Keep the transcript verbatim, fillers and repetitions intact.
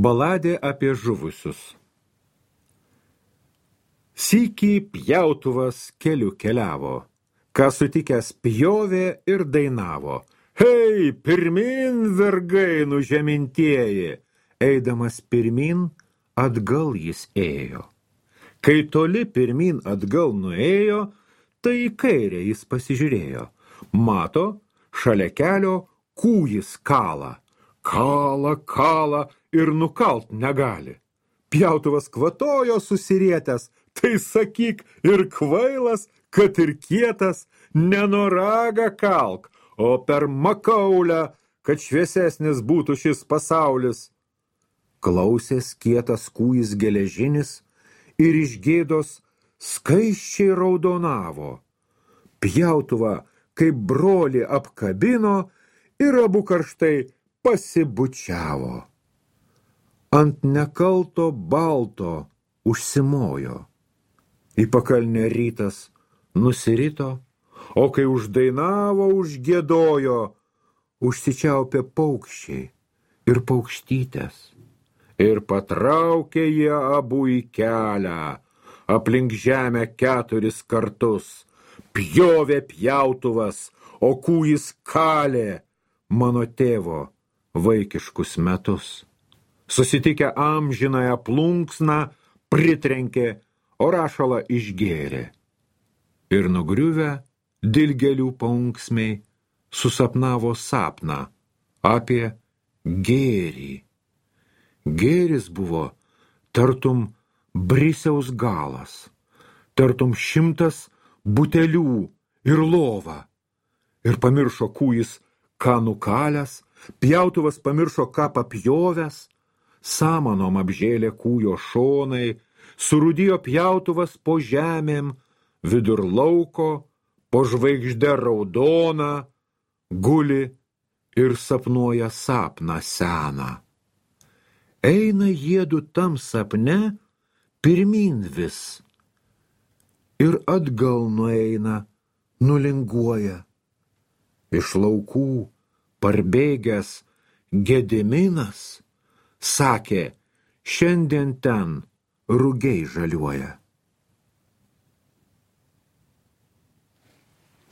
Baladė apie žuvusius. Sykį pjautuvas keliu keliavo, ką sutikęs pjovė ir dainavo. Hei, pirmin, vergai nužemintieji! Eidamas pirmin, atgal jis ėjo. Kai toli pirmin atgal nuėjo, tai į kairę jis pasižiūrėjo. Mato, šalia kelio kūjis kala. Kala, kala ir nukalt negali. Pjautuvas kvatojo susirietęs, tai sakyk ir kvailas, kad ir kietas, nenoragą kalk, o per makaulę, kad šviesesnis būtų šis pasaulis. Klausės kietas kūjis geležinis ir iš gėdos skaisčiai raudonavo. Pjautuvą kaip brolį apkabino ir abu karštai pasibučiavo. Ant nekalto balto užsimojo. Į pakalnę rytas nusirito, o kai uždainavo, užgiedojo, užsičiaupė paukščiai ir paukštytės. Ir patraukė jie abu į kelią, aplink žemę keturis kartus. Pjovė pjautuvas, o kūjis kalė mano tėvo vaikiškus metus. Susitikę amžinąją plunksną, pritrenkė, o rašalą išgėrė. Ir nugriuvę dilgėlių paunksmiai susapnavo sapną apie gėrį. Gėris buvo tartum brisiaus galas, tartum šimtas butelių ir lova. Ir pamiršo kūjis, ką nukalęs, pjautuvas pamiršo, ką papjovęs, samanom apžėlė kūjo šonai, surūdijo pjautuvas po žemėm, vidur lauko, po žvaigžde raudona, guli ir sapnuoja sapną seną. Eina jiedu tam sapne pirmin vis ir atgal nueina, nulinguoja. Iš laukų parbėgęs Gediminas sakė, šiandien ten rugiai žaliuoja.